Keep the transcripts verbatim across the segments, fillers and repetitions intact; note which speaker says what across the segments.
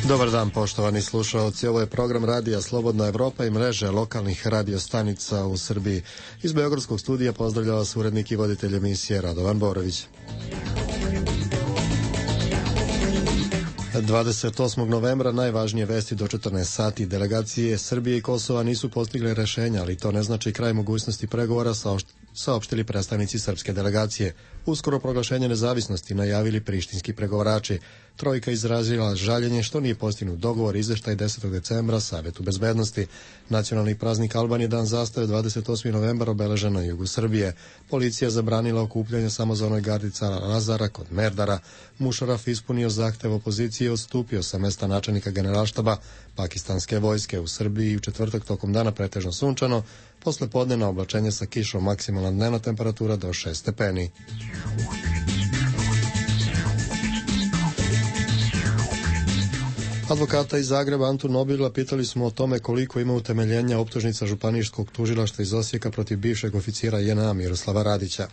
Speaker 1: Dobar dan, poštovani slušalci. Ovo je program Radija Slobodna Evropa i mreže lokalnih radiostanica u Srbiji. Iz Beogradskog studija pozdravlja vas urednik i voditelj emisije Radovan Borović. dvadeset osmog novembra najvažnije vesti do četrnaest sati. Delegacije Srbije i Kosova nisu postigle rešenja, ali to ne znači kraj mogućnosti pregovora, saopštili predstavnici srpske delegacije. Uskoro proglašenje nezavisnosti najavili prištinski pregovarači. Trojka izrazila žaljenje što nije postignut dogovor, izveštaj desetog decembra Savetu bezbednosti. Nacionalni praznik Albanije, dan zastave, dvadeset osmi novembar, obeležen na jugu Srbije. Policija zabranila okupljanje samozvanoj gardi cara Lazara kod Merdara. Mušaraf ispunio zahtev opozicije i odstupio sa mesta načelnika generalštaba pakistanske vojske. U Srbiji u četvrtak tokom dana pretežno sunčano, posle podnevna oblačenje sa kišom, maksimalna dnevna temperatura do šest stepeni. Advokata iz Zagreba Antu Nobila pitali smo o tome koliko ima utemeljenja optužnica Županijskog tužilaštva iz Osijeka protiv bivšeg oficira J N A Miroslava Radića.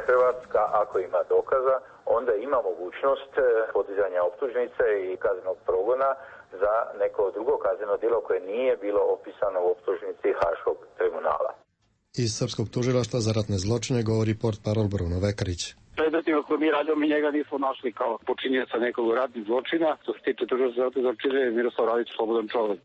Speaker 2: Hrvatska, ako ima dokaza, onda ima mogućnost podizanja optužnice i kaznenog progona za neko drugo kazneno djelo koje nije bilo opisano u optužnici Haškog tribunala.
Speaker 1: Iz Srpskog tužilaštva za ratne zločine govori portparol Bruno Vekarić.
Speaker 3: Predmetima koje mi radimo, mi njega nismo našli kao počinjenica nekog ratnih zločina. Što se tiče tužilaštva za ratne zločine, Miroslav Radić slobodan čovjek.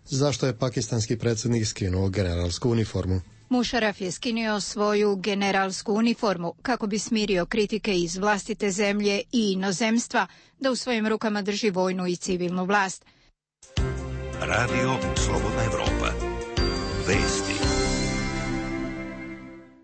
Speaker 1: Zašto je pakistanski predsjednik skinuo generalsku uniformu?
Speaker 4: Mušaraf je skinio svoju generalsku uniformu kako bi smirio kritike iz vlastite zemlje i inozemstva da u svojim rukama drži vojnu i civilnu vlast.
Speaker 5: Radio Slobodna Evropa. Vesti.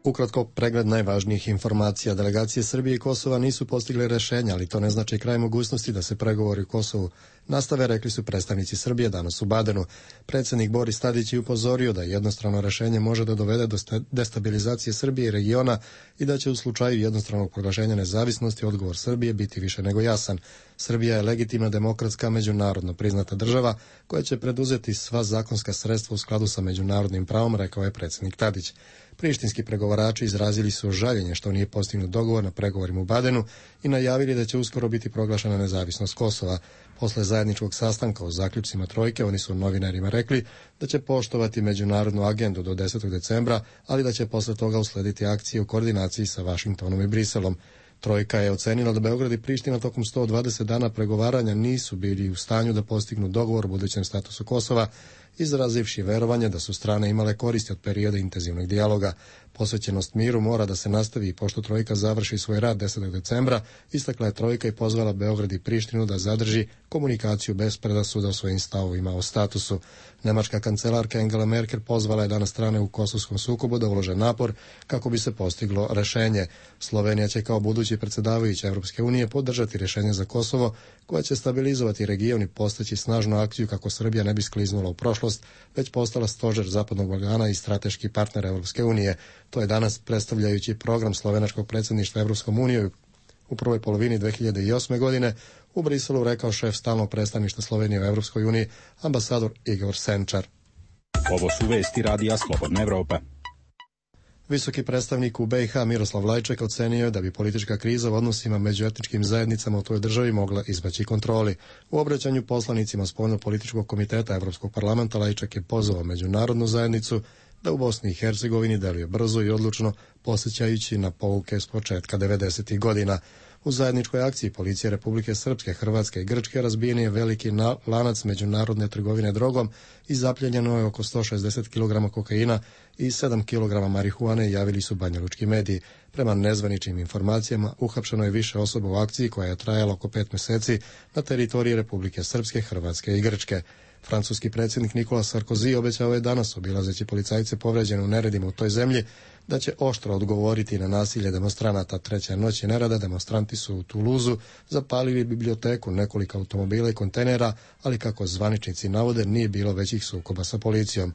Speaker 1: Ukratko, pregled najvažnijih informacija. Delegacije Srbije i Kosova nisu postigle rešenja, ali to ne znači kraj mogućnosti da se pregovori u Kosovu nastave, rekli su predstavnici Srbije danas u Badenu. Predsjednik Boris Tadić je upozorio da jednostrano rešenje može da dovede do destabilizacije Srbije i regiona i da će u slučaju jednostranog proglašenja nezavisnosti odgovor Srbije biti više nego jasan. Srbija je legitimna, demokratska, međunarodno priznata država koja će preduzeti sva zakonska sredstva u skladu sa međunarodnim pravom, rekao je predsjednik Tadić. Prištinski pregovarači izrazili su žaljenje što nije postignut dogovor na pregovorima u Badenu i najavili da će uskoro biti proglašena nezavisnost Kosova. Posle zajedničkog sastanka o zaključcima trojke, oni su novinarima rekli da će poštovati međunarodnu agendu do desetog decembra, ali da će posle toga uslediti akcije u koordinaciji sa Vašingtonom i Briselom. Trojka je ocenila da Beograd i Priština tokom sto dvadeset dana pregovaranja nisu bili u stanju da postignu dogovor o budućem statusu Kosova, izrazivši verovanje da su strane imale koristi od perioda intenzivnog dijaloga. Posvećenost miru mora da se nastavi i pošto Trojka završi svoj rad desetog decembra, istakla je Trojka i pozvala Beograd i Prištinu da zadrži komunikaciju bez predrasuda o svojim stavovima o statusu. Nemačka kancelarka Angela Merkel pozvala je danas strane u kosovskom sukobu da ulože napor kako bi se postiglo rešenje. Slovenija će kao budući predsjedavajući Evropske unije podržati rešenje za Kosovo, koja će stabilizovati region i postaći snažnu akciju kako Srbija ne bi skliznula u prošlost, već postala stožer Zapadnog Balkana i strateški partner Evropske unije. To je danas, predstavljajući program slovenačkog predsjedništva Evropskom unijom u prvoj polovini dve hiljade osme. godine, u Briselu rekao šef stalnog predstavništva Slovenije u Evropskoj uniji, ambasador Igor Senčar.
Speaker 6: Ovo su vesti Radija Slobodna Evropa.
Speaker 1: Visoki predstavnik u B i H Miroslav Lajček ocenio je da bi politička kriza u odnosima među etničkim zajednicama u toj državi mogla izbaći kontroli. U obraćanju poslanicima Spoljno-političkog komiteta Evropskog parlamenta Lajček je pozvao međunarodnu zajednicu da u Bosni i Hercegovini deluje brzo i odlučno, posjećajući na pouke s početka devedesetih godina. U zajedničkoj akciji policije Republike Srpske, Hrvatske i Grčke razbijen je veliki lanac međunarodne trgovine drogom i zapljenjeno je oko sto šezdeset kilograma kokaina i sedam kilograma marihuane, javili su banjalučki mediji. Prema nezvaničnim informacijama, uhapšeno je više osoba u akciji koja je trajala oko pet meseci na teritoriji Republike Srpske, Hrvatske i Grčke. Francuski predsjednik Nikola Sarkozy obećao je danas, obilazeći policajce povređene u neredima u toj zemlji, da će oštro odgovoriti na nasilje demonstranata. Treće noći nerada demonstranti su u Toulouseu zapalili biblioteku, nekoliko automobila i kontejnera, ali kako zvaničnici navode, nije bilo većih sukoba sa policijom.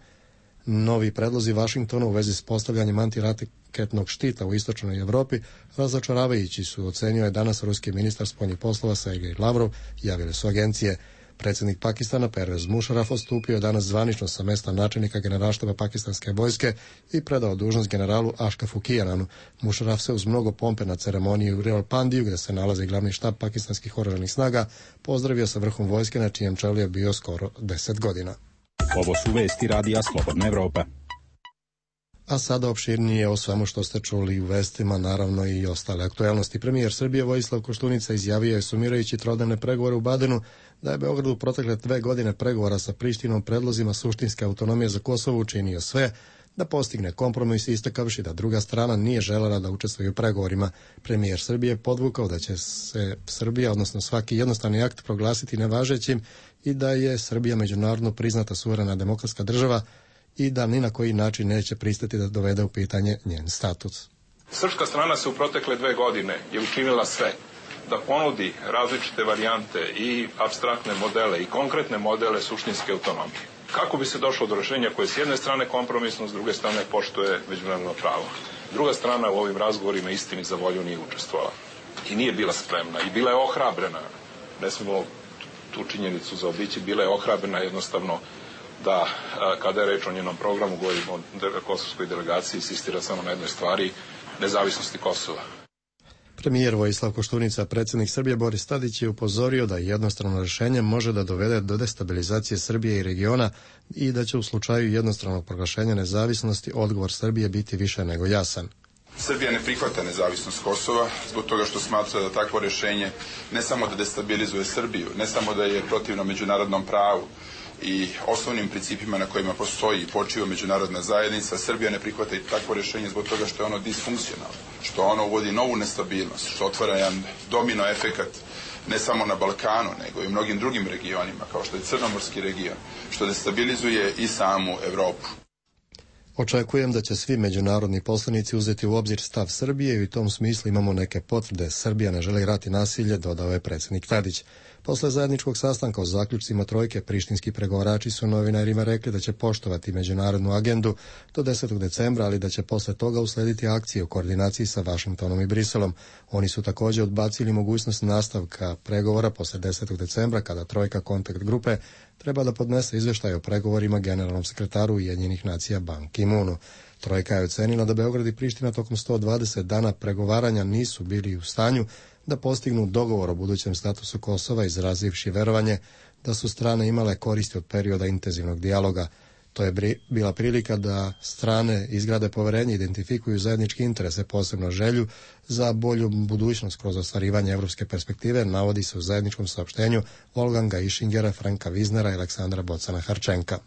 Speaker 1: Novi predlozi Vašingtona u vezi s postavljanjem antiraketnog štita u istočnoj Evropi razočaravajući su, ocenio je danas ruski ministar spoljnih poslova Sergej Lavrov, javile su agencije. Predsjednik Pakistana Pervez Musharraf odstupio je danas zvanično sa mesta načelnika generalštaba pakistanske vojske i predao dužnost generalu Ashrafu Kiananu. Musharraf se uz mnogo pompe na ceremoniji u Rawalpindiju, gdje se nalazi glavni štab pakistanskih oružanih snaga, pozdravio sa vrhom vojske na čijem čelu je bio skoro deset godina.
Speaker 6: Ovo su vesti radija Slobodna Evropa.
Speaker 1: A sada opširnije o svemu što ste čuli u vestima, naravno i ostale aktuelnosti. Premijer Srbije Vojislav Koštunica izjavio je, sumirajući trodnevne pregovore u Badenu, da je Beograd u protekle dve godine pregovora sa Prištinom predlozima suštinske autonomije za Kosovo učinio sve da postigne kompromis, istakavši da druga strana nije želela da učestvuje u pregovorima. Premijer Srbije podvukao da će se Srbija, odnosno svaki jednostavni akt, proglasiti nevažećim i da je Srbija međunarodno priznata suverena demokratska država i da ni na koji način neće pristati da dovede u pitanje njen status.
Speaker 7: Srpska strana se u protekle dve godine je učinila sve da ponudi različite varijante i apstraktne modele i konkretne modele suštinske autonomije. Kako bi se došlo do rešenja koje s jedne strane kompromisno, s druge strane poštuje međunarodno pravo. Druga strana u ovim razgovorima istini za volju nije učestvovala i nije bila spremna i bila je ohrabrena. Ne smemo tu činjenicu zaobići, bila je ohrabrena jednostavno da kada je reč o njenom programu, govorimo o kosovskoj delegaciji, insistira samo na jednoj stvari, nezavisnosti Kosova.
Speaker 1: Premijer Vojislav Koštunica, predsjednik Srbije Boris Tadić je upozorio da jednostrano rješenje može da dovede do destabilizacije Srbije i regiona i da će u slučaju jednostranog proglašenja nezavisnosti odgovor Srbije biti više nego jasan.
Speaker 8: Srbija ne prihvata nezavisnost Kosova zbog toga što smatra da takvo rješenje ne samo da destabilizuje Srbiju, ne samo da je protivno međunarodnom pravu i osnovnim principima na kojima postoji i počiva međunarodna zajednica. Srbija ne prihvata i takvo rješenje zbog toga što je ono disfunkcionalno, što ono uvodi novu nestabilnost, što otvara jedan domino efekat ne samo na Balkanu, nego i u mnogim drugim regionima, kao što je Crnomorski region, što destabilizuje i samu Evropu.
Speaker 1: Očekujem da će svi međunarodni poslanici uzeti u obzir stav Srbije i u tom smislu imamo neke potvrde. Srbija ne želi rat i nasilje, dodao je predsjednik Tadić. Posle zajedničkog sastanka o zaključcima trojke, prištinski pregovarači su novinarima rekli da će poštovati međunarodnu agendu do desetog decembra, ali da će posle toga uslediti akcije u koordinaciji sa Vašingtonom i Briselom. Oni su također odbacili mogućnost nastavka pregovora posle desetog decembra, kada trojka kontakt grupe treba da podnese izveštaj o pregovorima generalnom sekretaru Ujedinjenih nacija Ban Ki-moonu. Trojka je ocenila da Beograd i Priština tokom sto dvadeset dana pregovaranja nisu bili u stanju da postignu dogovor o budućem statusu Kosova, izrazivši verovanje da su strane imale koristi od perioda intenzivnog dijaloga. To je bila prilika da strane izgrade poverenje, identifikuju zajedničke interese, posebno želju za bolju budućnost kroz ostvarivanje evropske perspektive, navodi se u zajedničkom saopštenju Wolfganga Ischingera, Franka Wiesnera i Aleksandra Bocana-Harčenka.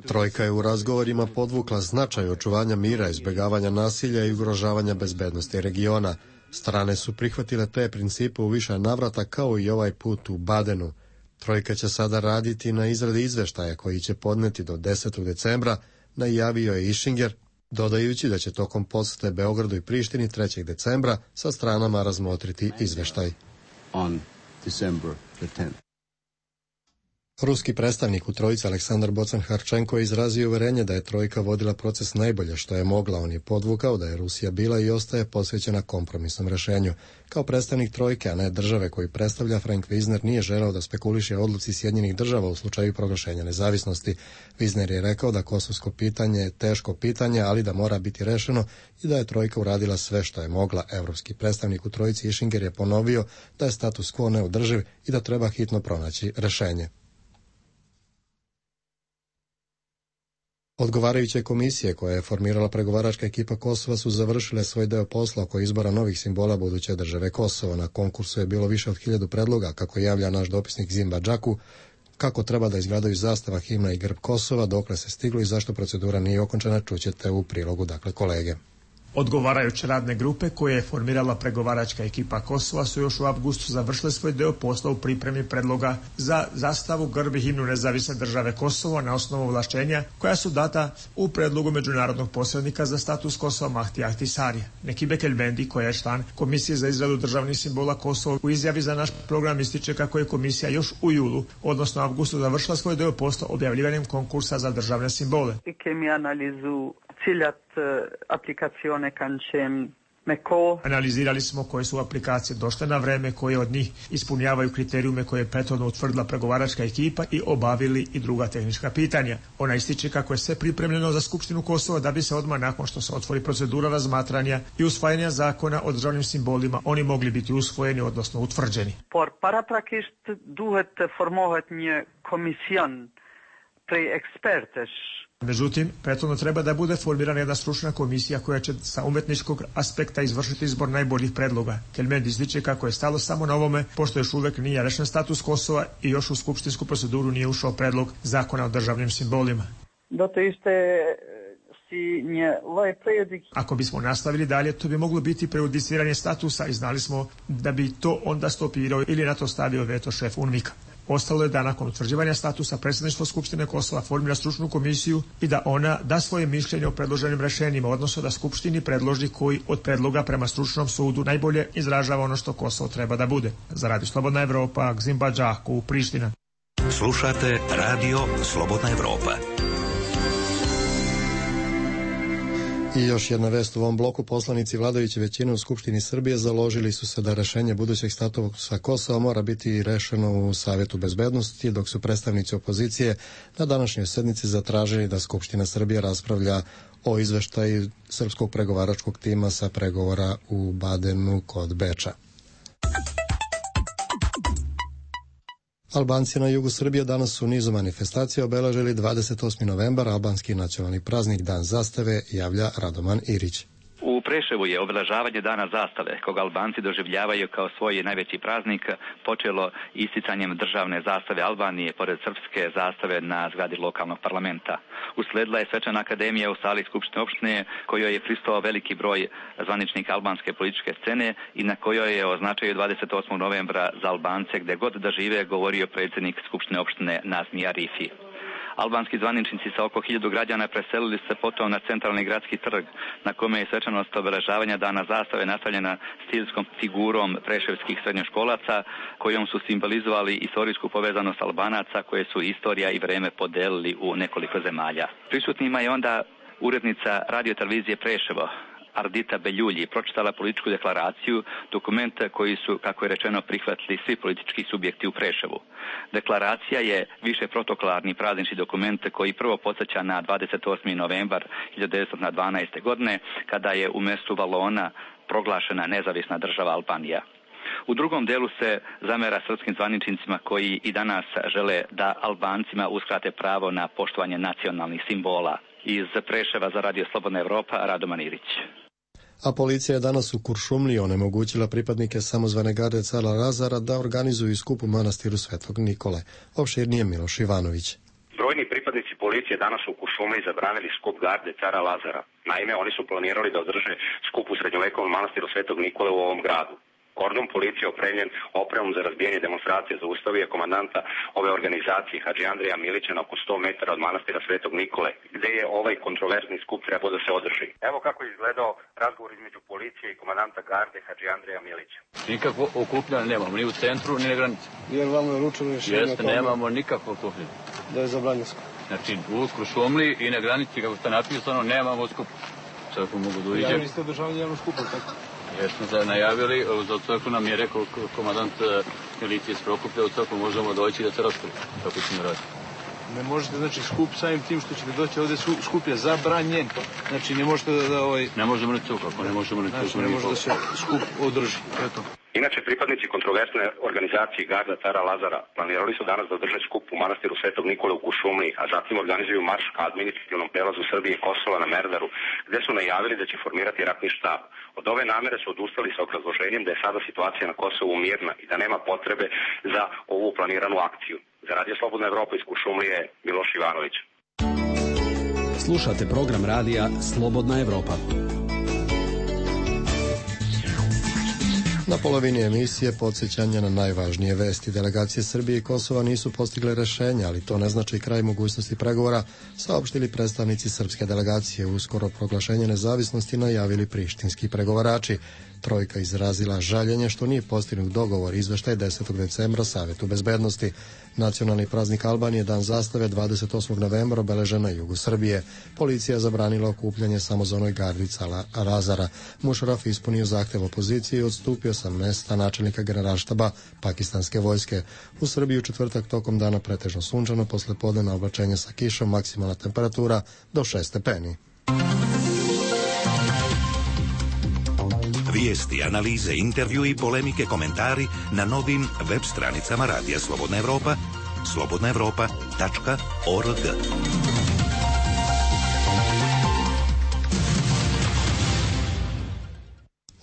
Speaker 1: Trojka je u razgovorima podvukla značaj očuvanja mira, izbjegavanja nasilja i ugrožavanja bezbednosti regiona. Strane su prihvatile te principe u više navrata, kao i ovaj put u Badenu. Trojka će sada raditi na izradi izveštaja koji će podneti do desetog decembra, najavio je Ischinger, dodajući da će tokom posete Beogradu i Prištini trećeg decembra sa stranama razmotriti izveštaj.
Speaker 9: On December the tenth.
Speaker 1: Ruski predstavnik u trojici Aleksandar Bocan-Harčenko je izrazio uverenje da je trojka vodila proces najbolje što je mogla. On je podvukao da je Rusija bila i ostaje posvećena kompromisnom rešenju. Kao predstavnik trojke, a ne države koju predstavlja, Frank Wiesner nije želeo da spekuliše o odluci Sjedinjenih država u slučaju proglašenja nezavisnosti. Wiesner je rekao da kosovsko pitanje je teško pitanje, ali da mora biti rešeno i da je trojka uradila sve što je mogla. Evropski predstavnik u trojici Ischinger je ponovio da je status quo neodrživ i da treba hitno pronaći rešenje. Odgovarajuće komisije koje je formirala pregovaračka ekipa Kosova su završile svoj deo posla oko izbora novih simbola buduće države Kosovo. Na konkursu je bilo više od hiljadu predloga, kako javlja naš dopisnik Zimba Džaku, kako treba da izgledaju zastava, himna i grb Kosova, dokle se stiglo i zašto procedura nije okončana, čućete u prilogu, dakle, kolege.
Speaker 10: Odgovarajuće radne grupe koje je formirala pregovaračka ekipa Kosova su još u avgustu završile svoj deo posla u pripremi predloga za zastavu, grb i himnu nezavisne države Kosovo na osnovu ovlašćenja koja su data u predlogu međunarodnog posrednika za status Kosova Mahdi Ahtisari. Nekibe Kelbendi, koja je član Komisije za izradu državnih simbola Kosova, u izjavi za naš program ističe kako je komisija još u julu, odnosno avgustu, završila svoj deo posla objavljivanjem konkursa za državne simbole.
Speaker 11: Ciljat aplikacione kanë qenë
Speaker 10: Analizirali smo koje su aplikacije došle na vreme, koje od njih ispunjavaju kriterijume koje je prethodno utvrdila pregovaračka ekipa i obavili i druga tehnička pitanja. Ona ističe kako je sve pripremljeno za Skupštinu Kosova da bi se odmah nakon što se otvori procedura razmatranja i usvajanja zakona o državnim simbolima oni mogli biti usvojeni, odnosno utvrđeni.
Speaker 11: Por paraprakisht duhet të formohet një komision prej ekspertesh.
Speaker 10: Međutim, prethodno treba da bude formirana jedna stručna komisija koja će sa umetničkog aspekta izvršiti izbor najboljih predloga. Kelmendi ističe kako je stalo samo na ovome, pošto još uvek nije rešen status Kosova i još u skupštinsku proceduru nije ušao predlog zakona o državnim simbolima.
Speaker 11: Do to ište si një lloj prejudiciranja.
Speaker 10: Ako bismo nastavili dalje, to bi moglo biti prejudiciranje statusa i znali smo da bi to onda stopirao ili na to stavio veto šef UNMIK-a. Ostalo je da nakon utvrđivanja statusa predsjedništvo Skupštine Kosova formira stručnu komisiju i da ona da svoje mišljenje o predloženim rešenjima, odnosno da Skupštini predloži koji od predloga prema stručnom sudu najbolje izražava ono što Kosovo treba da bude. Za Radio Slobodna Evropa, Gzimba Đaku, Priština.
Speaker 5: Slušate Radio Slobodna Evropa.
Speaker 1: I još jedna vest u ovom bloku. Poslanici vladajuće većine u Skupštini Srbije založili su se da rešenje budućeg statusa Kosova mora biti rešeno u Savjetu bezbednosti, dok su predstavnici opozicije na današnjoj sednici zatražili da Skupština Srbije raspravlja o izveštaju srpskog pregovaračkog tima sa pregovora u Badenu kod Beča. Albanci na jugu Srbije danas u nizu manifestacija obeležili dvadeset osmi novembar, albanski nacionalni praznik Dan zastave, javlja Radoman Irić.
Speaker 12: U Preševu je obeležavanje Dana zastave, koga Albanci doživljavaju kao svoj najveći praznik, počelo isticanjem državne zastave Albanije pored srpske zastave na zgradi lokalnog parlamenta. Usledila je svečana akademija u sali Skupštine opštine, kojoj je prisutovao veliki broj zvaničnika albanske političke scene i na kojoj je o značaju dvadeset osmog novembra za Albance gde god da žive govorio predsjednik Skupštine opštine Nazmi Arifi. Albanski zvaničnici sa oko hiljadu građana preselili se potom na centralni gradski trg, na kome je svečanost obeležavanja Dana zastave nastavljena stilskom figurom preševskih srednjoškolaca, kojom su simbolizovali istorijsku povezanost Albanaca koje su istorija i vreme podelili u nekoliko zemalja. Prisutnima je onda urednica radiotelevizije Preševo, Ardita Beljulji, pročitala političku deklaraciju, dokument koji su, kako je rečeno, prihvatili svi politički subjekti u Preševu. Deklaracija je više protokolarni praznični dokument koji prvo podsjeća na dvadeset osmi novembar hiljadu devetsto dvanaeste. godine, kada je u mjestu Valona proglašena nezavisna država Albanija. U drugom delu se zamera srpskim zvaničnicima koji i danas žele da Albancima uskrate pravo na poštovanje nacionalnih simbola. Iz Preševa za Radio Slobodna Evropa, Radoman Irić.
Speaker 1: A policija je danas u Kuršumliji onemogućila pripadnike samozvane garde cara Lazara da organizuju skup u manastiru Svetog Nikole. Opširnije Miloš Ivanović.
Speaker 13: Brojni pripadnici policije danas u Kuršumliji zabranili skup garde cara Lazara. Naime, oni su planirali da održe skup u srednjovekovom manastiru Svetog Nikole u ovom gradu. Kordon policije opremljen opremom za razbijanje demonstracije zaustavio je komandanta ove organizacije Hadži Andreja Milića na oko sto metara od manastira Svetog Nikole, gde je ovaj kontroverzni skup trebao da se održi. Evo kako je izgledao razgovor između policije i komandanta garde Hadži Andreja Milića.
Speaker 14: Nikakvo okupljanje nemamo, ni u centru, ni na granici.
Speaker 15: Jer vama je ručeno rješenje?
Speaker 14: Jeste, nemamo nikakvo okupljanje.
Speaker 15: Da je zabranjeno skup?
Speaker 14: Znači, u Kuršumliji i na granici, kako ste napisano, nemamo skup. Sada mogu da uđem.
Speaker 15: Najavili ste održavanje javnog skupa, tako?
Speaker 14: Jesmo se najavili, za crkvu nam je rekao komandant milicije iz Prokuplja, u crkvu možemo doći da se raspravi, kako ćemo raditi.
Speaker 15: Ne možete, znači, skup samim tim što ćete doći ovdje, skup je zabranjen. Znači, ne možete da... da ovaj...
Speaker 14: Ne možemo ni to, kako ne možemo ni to.
Speaker 15: Znači, ne može da se skup održi, eto.
Speaker 13: Inače, pripadnici kontroversne organizacije Garda cara Lazara planirali su danas da održe skup u manastiru Svetog Nikole u Kuršumliji, a zatim organizuju marš ka administrativnom prelazu Srbije i Kosova na Merdaru, gde su najavili da će formirati ratni štab. Od ove namere su odustali sa obrazloženjem da je sada situacija na Kosovu mirna i da nema potrebe za ovu planiranu akciju. Za Radio Slobodna Evropa iz Kuršumlije, Miloš Ivanović.
Speaker 16: Slušate program radija Slobodna Evropa.
Speaker 1: Na polovini emisije podsjećanja na najvažnije vesti. Delegacije Srbije i Kosova nisu postigle rešenja, ali to ne znači kraj mogućnosti pregovora, saopštili predstavnici srpske delegacije. Uskoro proglašenje nezavisnosti najavili prištinski pregovarači. Trojka izrazila žaljenje što nije postignut dogovor, izveštaj desetog decembra Savetu bezbednosti. Nacionalni praznik Albanije, Dan zastave, dvadeset osmog novembra obeležen na jugu Srbije. Policija zabranila okupljanje samozvanoj gardi Cala Razara. Mušaraf ispunio zahtev opozicije i odstupio sa mesta načelnika generalštaba pakistanske vojske. U Srbiji u četvrtak tokom dana pretežno sunčano, posle podnevna oblačenja sa kišom, maksimalna temperatura do šest stepeni.
Speaker 5: Vijesti, analize, intervju i polemike, komentari na novim web stranicama Radija Slobodna Evropa, slobodna evropa tačka org.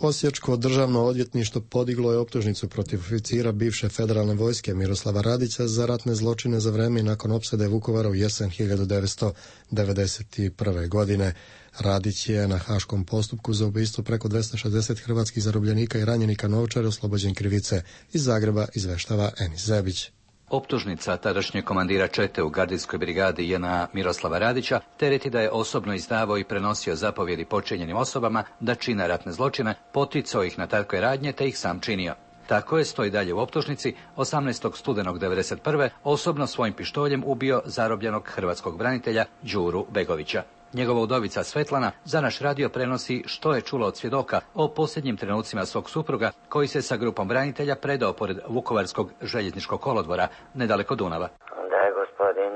Speaker 1: Osječko državno odvjetništvo podiglo je optužnicu protiv oficira bivše federalne vojske Miroslava Radića za ratne zločine za vreme i nakon opsade Vukovara u jesen hiljadu devetsto devedeset prve. godine. Radić je na haškom postupku za ubistvo preko dvesta šezdeset hrvatskih zarobljenika i ranjenika na Ovčari oslobođen krivice. Iz Zagreba izveštava Enis Zebić.
Speaker 16: Optužnica tadašnjeg komandira čete u gardijskoj brigadi J N A Miroslava Radića tereti da je osobno izdavao i prenosio zapovjedi počinjenim osobama da čine ratne zločine, poticao ih na takve radnje te ih sam činio. Tako je, stoji dalje u optužnici, osamnaestog studenog devedeset prve osobno svojim pištoljem ubio zarobljenog hrvatskog branitelja Đuru Begovića. Njegova udovica Svetlana za naš radio prenosi što je čula od svjedoka o posljednjim trenucima svog supruga koji se sa grupom branitelja predao pored Vukovarskog željezničkog kolodvora nedaleko Dunava.
Speaker 17: Da je gospodin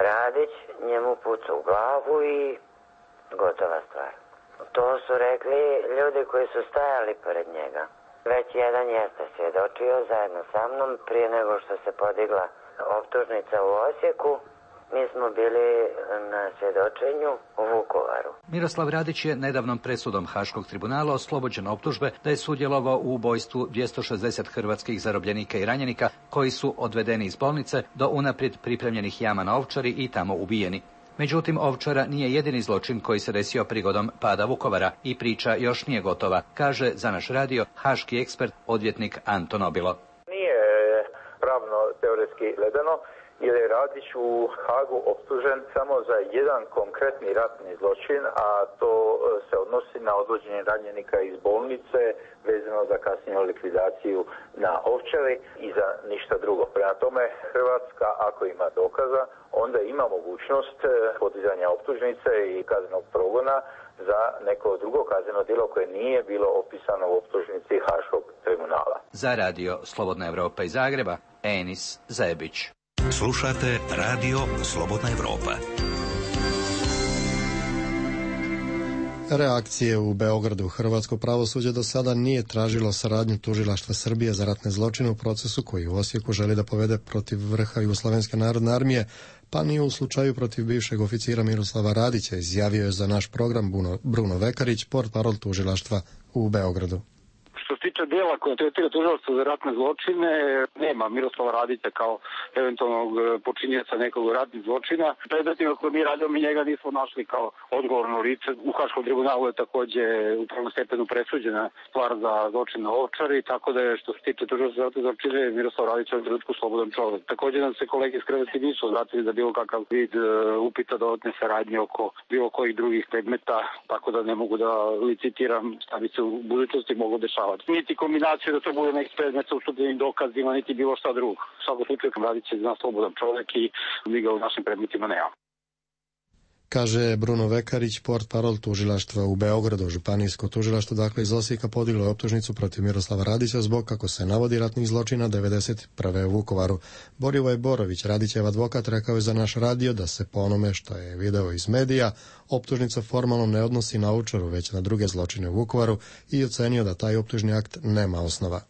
Speaker 17: Radić njemu puca u glavu i gotova stvar. To su rekli ljudi koji su stajali pored njega. Već jedan jeste svjedočio zajedno sa mnom prije nego što se podigla optužnica u Osijeku. Mi smo bili na svjedočenju u Vukovaru.
Speaker 16: Miroslav Radić je nedavnom presudom Haškog tribunala oslobođen optužbe da je sudjelovao u ubojstvu dvjesto šezdeset hrvatskih zarobljenika i ranjenika koji su odvedeni iz bolnice do unaprijed pripremljenih jama na Ovčari i tamo ubijeni. Međutim, Ovčara nije jedini zločin koji se desio prigodom pada Vukovara i priča još nije gotova, kaže za naš radio haški ekspert, odvjetnik Anton Obilo.
Speaker 2: Nije pravno teoretski gledano, jer je Radić u Hagu optužen samo za jedan konkretni ratni zločin, a to se odnosi na odvođenje ranjenika iz bolnice vezano za kasniju likvidaciju na Ovčari i za ništa drugo. Prema tome, Hrvatska, ako ima dokaza, onda ima mogućnost podizanja optužnice i kaznenog progona za neko drugo kazneno djelo koje nije bilo opisano u optužnici Haškog tribunala.
Speaker 16: Za radio Slobodna Evropa iz Zagreba, Enis Zebić.
Speaker 5: Slušate Radio Slobodna Evropa.
Speaker 1: Reakcije u Beogradu. Hrvatsko pravosuđe do sada nije tražilo saradnju tužilaštva Srbije za ratne zločine u procesu koji u Osijeku želi da povede protiv vrha Jugoslovenske narodne armije, pa ni u slučaju protiv bivšeg oficira Miroslava Radića, izjavio je za naš program Bruno Vekarić, portparol tužilaštva u Beogradu.
Speaker 3: Što se tiče dela koje tretira tužilaštvo za ratne zločine, nema Miroslava Radića kao eventualnog počinioca nekog ratnih zločina. Predmetima koje mi radimo, mi njega nismo našli kao odgovorno lice. U Haškom tribunalu je takođe u prvom stepenu presuđena stvar za zločin na Ovčari, tako da je što se tiče tužilaštva za ratne zločine, Miroslav Radić je u trenutku slobodan čovjek. Takođe nam se kolege iz Hrvatske nisu obratili za bilo kakav vid upita dodatne saradnje oko bilo kojih drugih predmeta, tako da ne mogu da licitiram šta bi se u budućnosti moglo dešavati. Niti kombinaciju da to bude neki predmet sa ustupljenim dokazima, niti bilo šta drugo. U svakom slučaju Radić je zna slobodan čovjek i mi ga u našim predmetima nema.
Speaker 1: Kaže Bruno Vekarić, portparol tužilaštva u Beogradu. Županijsko tužilaštvo dakle iz Osijeka podiglo je optužnicu protiv Miroslava Radića zbog, kako se navodi, ratnih zločina devedeset prve u Vukovaru. Borivoje Borović, Radićev advokat, rekao je za naš radio da se po onome što je video iz medija optužnica formalno ne odnosi na Ovčaru, već na druge zločine u Vukovaru i ocenio da taj optužni akt nema osnova.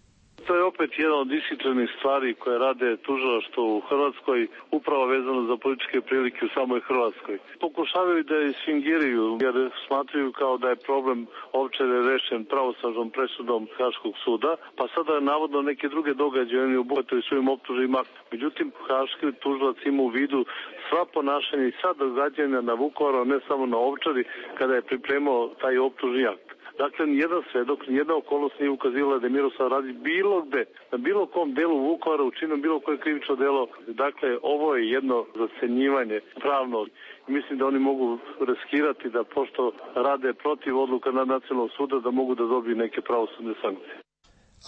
Speaker 18: To je opet jedna od disciplinarnih stvari koje rade tužilaštvo u Hrvatskoj, upravo vezano za političke prilike u samoj Hrvatskoj. Pokušavaju da je sfingiraju, jer smatraju kao da je problem Ovčare rešen pravosnažnom presudom Haškog suda, pa sada navodno neke druge događaje oni obuhvataju svojim optužnim aktom. Međutim, Haški tužilac ima u vidu sva ponašanja i sva događanja na Vukovaru, ne samo na Ovčari, kada je pripremao taj optužni akt. Dakle, nijedan svedok, nijedna okolnost nije ukazivala da je Miroslav Radić bilo gde, na bilo kom delu Vukovara učinio bilo koje krivično delo. Dakle, ovo je jedno zacenjivanje pravno. Mislim da oni mogu riskirati da, pošto rade protiv odluka nad Nacionalnog suda, da mogu da dobiju neke pravosudne sankcije.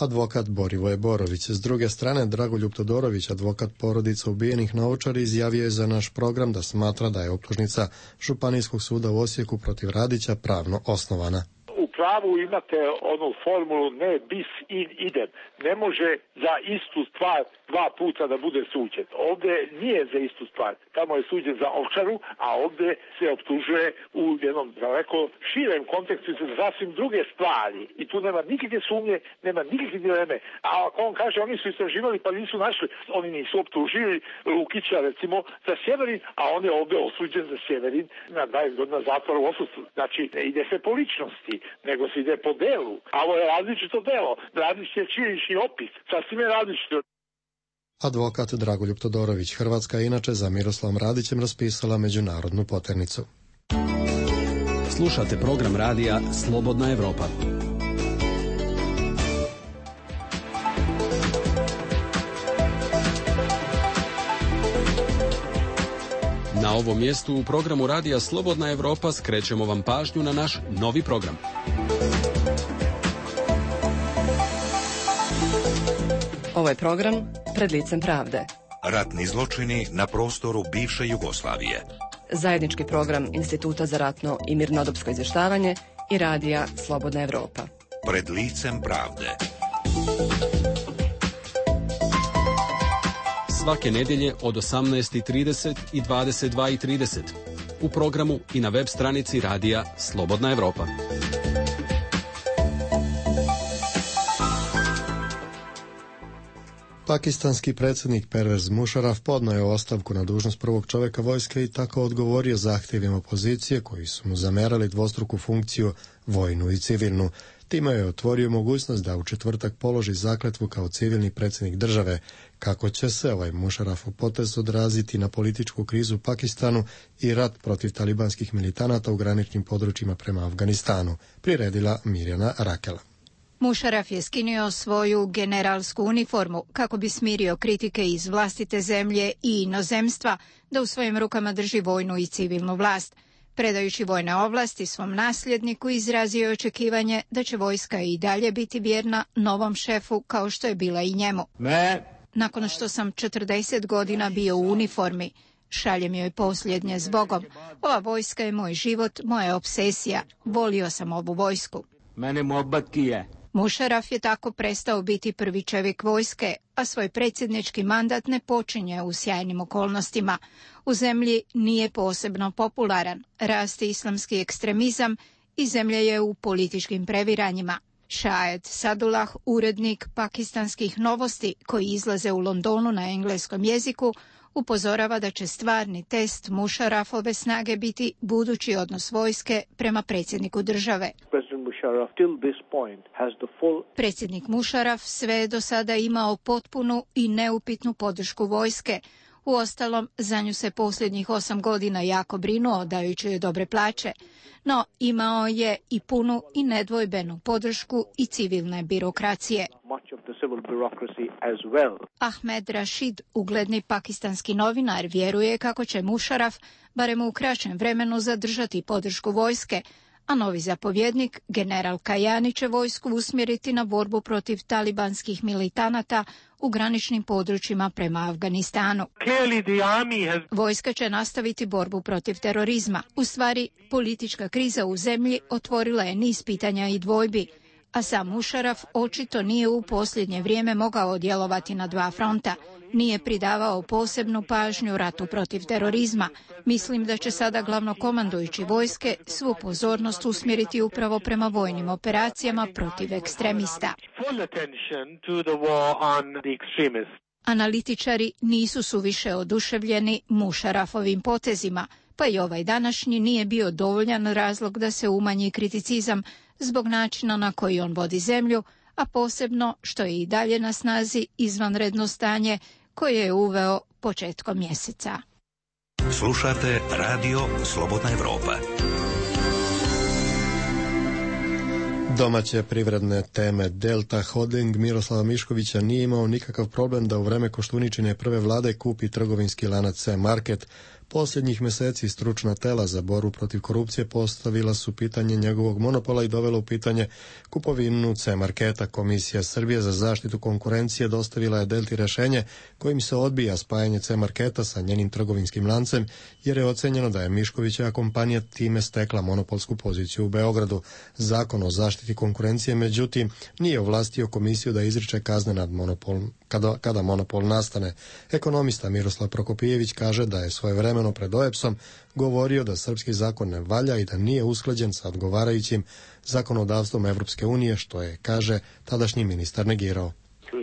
Speaker 1: Advokat Borivoje Borović. S druge strane, Dragoljub Todorović, advokat porodica ubijenih na Ovčari, izjavio je za naš program da smatra da je optužnica Županijskog suda u Osijeku protiv Radića pravno osnovana.
Speaker 19: U pravu imate onu formulu ne bis in idem. Ne može za istu stvar dva puta da bude suđen. Ovdje nije za istu stvar. Tamo je suđen za Ovčaru, a ovdje se optužuje u jednom daleko širem kontekstu za sasvim druge stvari. I tu nema nikakve sumnje, nema nikakve dileme. A ako on kaže oni su istraživali pa nisu našli, oni nisu optužili Lukića recimo za Sjeverin, a on je ovdje osuđen za Sjeverin na dvadeset godina zatvora u odsustvu. Znači ne ide se po ličnosti, nego se ide po delu. A ovo je različito delo. Različit je činjenični opis. Sasvim je različito.
Speaker 1: Advokat Dragoljub Todorović. Hrvatska je inače za Miroslavom Radićem raspisala međunarodnu poternicu.
Speaker 20: Slušate program radija Slobodna Evropa. Na ovom mjestu u programu radija Slobodna Evropa skrećemo vam pažnju na naš novi program.
Speaker 21: Ovo je program Pred licem pravde.
Speaker 5: Ratni zločini na prostoru bivše Jugoslavije.
Speaker 21: Zajednički program Instituta za ratno i mirnodopsko izvještavanje i radija Slobodna Evropa.
Speaker 5: Pred licem pravde.
Speaker 20: Svake nedjelje od osamnaest i trideset i dvadeset dva i trideset. U programu i na web stranici radija Slobodna Evropa.
Speaker 1: Pakistanski predsjednik Pervez Musharraf podnio je ostavku na dužnost prvog čovjeka vojske i tako odgovorio zahtjevima opozicije koji su mu zamerali dvostruku funkciju, vojnu i civilnu. Time je otvorio mogućnost da u četvrtak položi zakletvu kao civilni predsjednik države. Kako će se ovaj Musharrafov potez odraziti na političku krizu u Pakistanu i rat protiv talibanskih militanata u graničnim područjima prema Afganistanu, priredila Mirjana Rakela.
Speaker 4: Musharraf je skinuo svoju generalsku uniformu kako bi smirio kritike iz vlastite zemlje i inozemstva da u svojim rukama drži vojnu i civilnu vlast. Predajući vojne ovlasti svom nasljedniku, izrazio je očekivanje da će vojska i dalje biti vjerna novom šefu kao što je bila i njemu.
Speaker 22: Ne.
Speaker 4: Nakon što sam četrdeset godina bio u uniformi, šaljem joj posljednje zbogom. Ova vojska je moj život, moja obsesija. Volio sam ovu vojsku.
Speaker 22: Mene mohabbat je.
Speaker 4: Musharraf je tako prestao biti prvi čovjek vojske, a svoj predsjednički mandat ne počinje u sjajnim okolnostima. U zemlji nije posebno popularan, raste islamski ekstremizam i zemlja je u političkim previranjima. Šahed Sadullah, urednik pakistanskih novosti koji izlaze u Londonu na engleskom jeziku, upozorava da će stvarni test Musharrafove snage biti budući odnos vojske prema predsjedniku države. Predsjednik Musharraf sve je do sada imao potpunu i neupitnu podršku vojske. Uostalom, za nju se posljednjih osam godina jako brinuo, dajući joj dobre plaće, no imao je i punu i nedvojbenu podršku i civilne birokracije. Ahmed Rashid, ugledni pakistanski novinar, vjeruje kako će Musharraf barem u kraćem vremenu zadržati podršku vojske, a novi zapovjednik, general Kajani, će vojsku usmjeriti na borbu protiv talibanskih militanata u graničnim područjima prema Afganistanu. Vojska će nastaviti borbu protiv terorizma. U stvari, politička kriza u zemlji otvorila je niz pitanja i dvojbi, a sam Musharraf očito nije u posljednje vrijeme mogao djelovati na dva fronta. Nije pridavao posebnu pažnju ratu protiv terorizma. Mislim da će sada glavnokomandujući vojske svu pozornost usmjeriti upravo prema vojnim operacijama protiv ekstremista. Analitičari nisu suviše oduševljeni Musharrafovim potezima, pa i ovaj današnji nije bio dovoljan razlog da se umanji kriticizam zbog načina na koji on vodi zemlju, a posebno što je i dalje na snazi izvanredno stanje koje je uveo početkom mjeseca.
Speaker 5: Slušate Radio Slobodna Evropa.
Speaker 1: Domaće privredne teme. Delta Holding Miroslava Miškovića nije imao nikakav problem da u vreme Koštuničine prve vlade kupi trgovinski lanac C-Market. Posljednjih meseci stručna tela za borbu protiv korupcije postavila su pitanje njegovog monopola i dovela u pitanje kupovinu C-Marketa. Komisija Srbije za zaštitu konkurencije dostavila je Delti rešenje kojim se odbija spajanje C-Marketa sa njenim trgovinskim lancem, jer je ocenjeno da je Miškovićeva kompanija time stekla monopolsku poziciju u Beogradu. Zakon o zaštiti konkurencije, međutim, nije ovlastio komisiju da izriče kazne nad monopol, kada, kada monopol nastane. Ekonomista Miroslav Prokopijević kaže da je svojevremeno pred O E P S-om govorio da srpski zakon ne valja i da nije usklađen sa odgovarajućim zakonodavstvom Evropske unije, što je, kaže, tadašnji ministar negirao.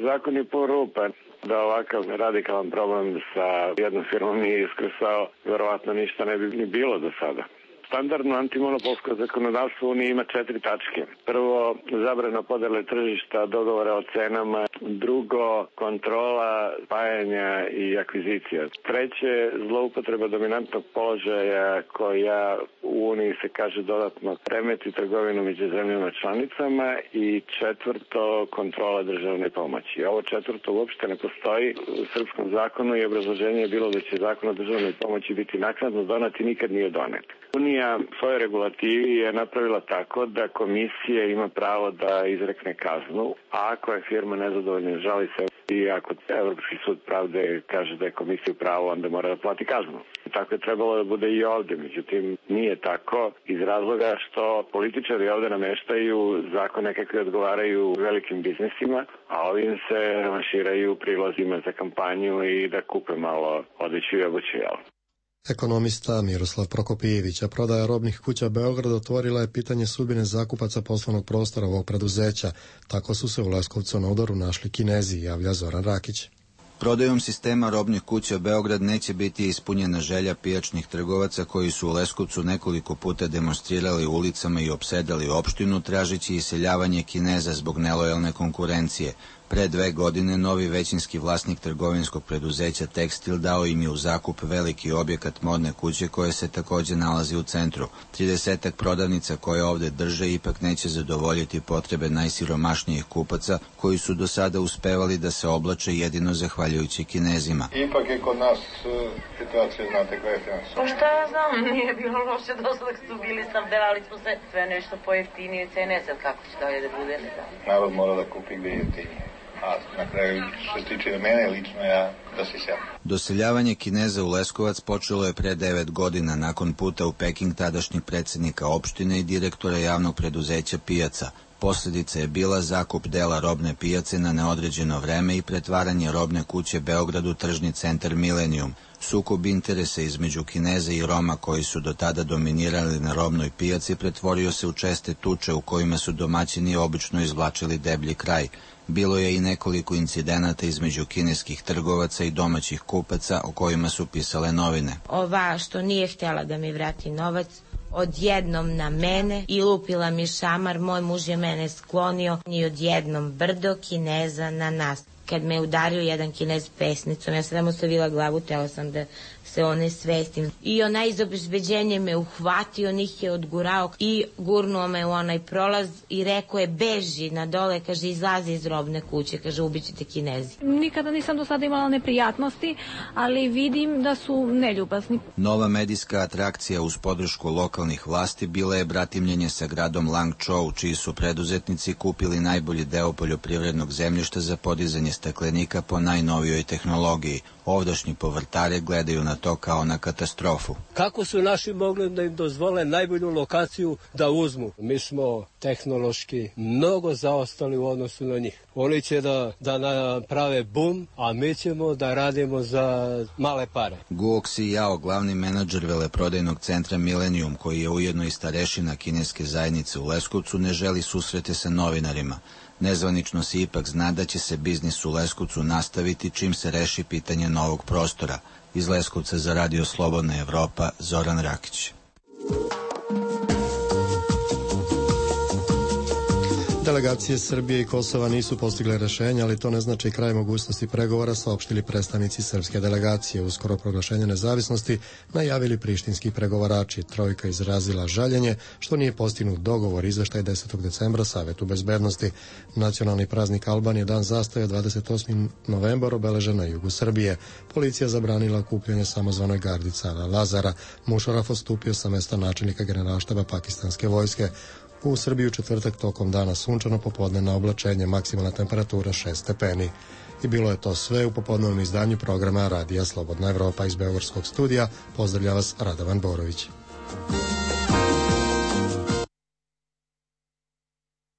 Speaker 6: Zakon je porupan. Da ovakav radikalan problem sa jednom firmom nije iskrsao, verovatno ništa ne bi ni bilo do sada. Standardno antimonopolsko zakonodavstvo Unije ima četiri tačke. Prvo, zabrana podele tržišta, dogovora o cenama. Drugo, kontrola spajanja i akvizicija. Treće, zloupotreba dominantnog položaja koja u Uniji se kaže dodatno remeti trgovinu među zemljama članicama. I četvrto, kontrola državne pomoći. Ovo četvrto uopšte ne postoji u srpskom zakonu i obrazloženje je bilo da će zakon o državnoj pomoći biti naknadno donet i nikad nije donet. Unija svoje regulativi je napravila tako da komisija ima pravo da izrekne kaznu, a ako je firma nezadovoljna, žali se i ako Evropski sud pravde kaže da je komisija u pravu, onda mora da plati kaznu. Tako je trebalo da bude i ovde, međutim nije tako iz razloga što političari ovde nameštaju zakone kakve odgovaraju velikim biznisima, a ovim se maširaju prilozima za kampanju i da kupe malo odeću i obuću, jel?
Speaker 1: Ekonomista Miroslav Prokopijević, a prodaja robnih kuća Beograd otvorila je pitanje sudbine zakupaca poslovnog prostora ovog preduzeća. Tako su se u Leskovcu na udaru našli Kinezi, javlja Zoran Rakić.
Speaker 22: Prodajom sistema robnih kuća Beograd neće biti ispunjena želja pijačnih trgovaca koji su u Leskovcu nekoliko puta demonstrirali ulicama i opsedali opštinu tražeći iseljavanje Kineza zbog nelojalne konkurencije. Pre dve godine novi većinski vlasnik trgovinskog preduzeća Tekstil dao im je u zakup veliki objekat modne kuće koje se takođe nalazi u centru. tridesetak prodavnica koje ovde drže ipak neće zadovoljiti potrebe najsiromašnijih kupaca koji su do sada uspevali da se oblače jedino zahvaljujući Kinezima.
Speaker 23: Ipak je kod nas situacija, znate koja je finansija.
Speaker 24: Pa šta ja znam, nije bilo loše do sada dok su bili snabdevali smo se sve nešto pojeftinije cene, sad kako će dalje da bude, ne znam.
Speaker 23: Narod mora da kupi gde je jeftinije. A na kraju, što se tiče mene lično, ja da se selim.
Speaker 22: Doseljavanje Kineza u Leskovac počelo je pre devet godina nakon puta u Peking tadašnjeg predsednika opštine i direktora javnog preduzeća Pijaca. Posljedica je bila zakup dela robne pijace na neodređeno vreme i pretvaranje robne kuće Beograd u tržni centar Milenijum. Sukob interesa između Kineza i Roma koji su do tada dominirali na robnoj pijaci pretvorio se u česte tuče u kojima su domaćini obično izvlačili deblji kraj. Bilo je i nekoliko incidenata između kineskih trgovaca i domaćih kupaca o kojima su pisale novine.
Speaker 25: Ova što nije htjela da mi vrati novac, odjednom na mene i lupila mi šamar, moj muž je mene sklonio i odjednom brdo Kineza na nas. Kad me udario jedan Kinez pesnicom, ja sam ostavila glavu, tela sam da se one svestim. I onaj iz obezbeđenja me uhvatio, njih je odgurao i gurnuo me u onaj prolaz i rekao je beži na dole, kaže izlazi iz robne kuće, kaže ubićete Kinezi.
Speaker 26: Nikada nisam do sada imala neprijatnosti, ali vidim da su neljubazni.
Speaker 22: Nova medijska atrakcija uz podršku lokalnih vlasti bila je bratimljenje sa gradom Langčou, čiji su preduzetnici kupili najbolji deo poljoprivrednog zemljišta za podizanje staklenika po najnovijoj tehnologiji. Ovdašnji povrtare gledaju na to kao na katastrofu.
Speaker 27: Kako su naši mogli da im dozvole najbolju lokaciju da uzmu? Mi smo tehnološki mnogo zaostali u odnosu na njih. Oni će da, da naprave bum, a mi ćemo da radimo za male pare.
Speaker 22: Guo Xijao, glavni menadžer veleprodajnog centra Milenijum, koji je ujedno i starešina kineske zajednice u Leskovcu, ne želi susrete sa novinarima. Nezvanično se ipak zna da će se biznis u Leskovcu nastaviti čim se reši pitanje novog prostora. Iz Leskovca za Radio Slobodna Evropa, Zoran Rakić.
Speaker 1: Delegacije Srbije i Kosova nisu postigle rešenja, ali to ne znači kraj mogućnosti pregovora, saopštili predstavnici srpske delegacije. Uskoro proglašenje nezavisnosti najavili prištinski pregovarači. Trojka izrazila žaljenje što nije postignut dogovor. Izveštaj desetog decembra Savetu bezbednosti. Nacionalni praznik Albanije, dan zastaje, dvadeset osmi novembar, obeležen na jugu Srbije. Policija zabranila okupljanje samozvanoj gardi cara Lazara. Mušaraf odstupio sa mesta načelnika generalštaba pakistanske vojske. U Srbiji u četvrtak tokom dana sunčano, popodne na oblačenje, maksimalna temperatura šest stepeni. I bilo je to sve u popodnevnom izdanju programa Radija Slobodna Evropa. Iz Beogradskog studija pozdravlja vas Radovan Borović.